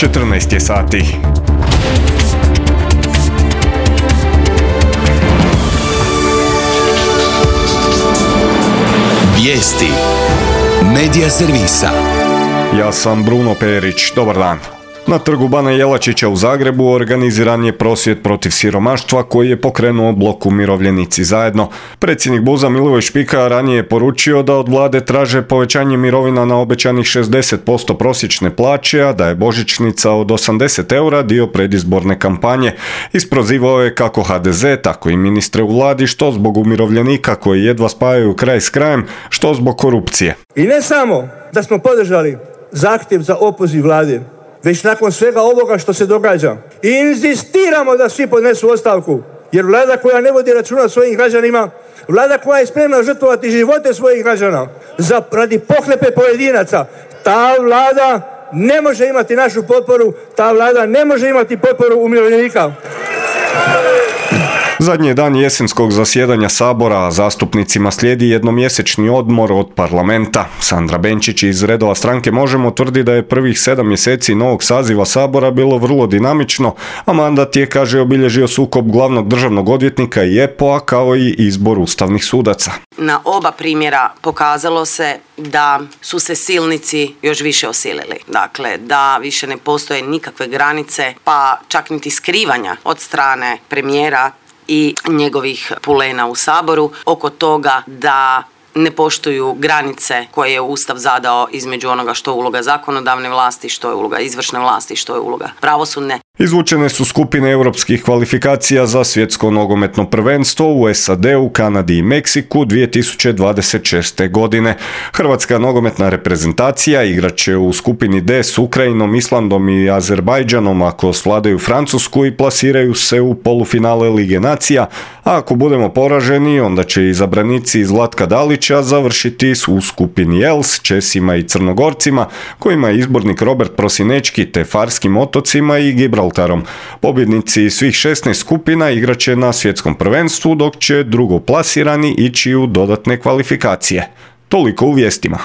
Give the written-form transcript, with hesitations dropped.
14 je sati. Vijesti Medija servisa. Ja sam Bruno Perić, dobar dan. Na trgu Bana Jelačića u Zagrebu organiziran je prosvjed protiv siromaštva koji je pokrenuo blok Umirovljenici zajedno. Predsjednik BUZ-a Milivoj Špika ranije je poručio da od vlade traže povećanje mirovina na obećanih 60% prosječne plaće, a da je božićnica od 80 eura dio predizborne kampanje. Isprozivao je kako HDZ, tako i ministre u vladi, što zbog umirovljenika koji jedva spajaju kraj s krajem, što zbog korupcije. I ne samo da smo podržali zahtjev za opoziv vlade, već nakon svega ovoga što se događa inzistiramo da svi podnesu ostavku, jer vlada koja ne vodi računa o svojim građanima, vlada koja je spremna žrtvovati živote svojih građana radi pohlepe pojedinaca, ta vlada ne može imati našu potporu, ta vlada ne može imati potporu umirovljenika. Zadnji je dan jesenskog zasjedanja Sabora, a zastupnicima slijedi jednomjesečni odmor od parlamenta. Sandra Benčić iz redova stranke Možemo tvrdi da je prvih 7 mjeseci novog saziva Sabora bilo vrlo dinamično, a mandat je, kaže, obilježio sukob glavnog državnog odvjetnika i EPO-a kao i izbor ustavnih sudaca. Na oba primjera pokazalo se da su se silnici još više osilili. Dakle, da više ne postoje nikakve granice, pa čak niti skrivanja od strane premijera i njegovih pulena u Saboru oko toga da ne poštuju granice koje je Ustav zadao između onoga što je uloga zakonodavne vlasti, što je uloga izvršne vlasti, što je uloga pravosudne. Izvučene su skupine europskih kvalifikacija za svjetsko nogometno prvenstvo u SAD-u, Kanadi i Meksiku 2026. godine. Hrvatska nogometna reprezentacija igrat će u skupini D s Ukrajinom, Islandom i Azerbajdžanom ako svladaju Francusku i plasiraju se u polufinale Lige nacija, a ako budemo poraženi, onda će izabranici Zlatka Dalića završiti u skupini L s Česima i Crnogorcima, kojima je izbornik Robert Prosinečki, te Farskim otocima i Gibraltarom. Pobjednici svih 16 skupina igraće na svjetskom prvenstvu, dok će drugoplasirani ići u dodatne kvalifikacije. Toliko u vijestima.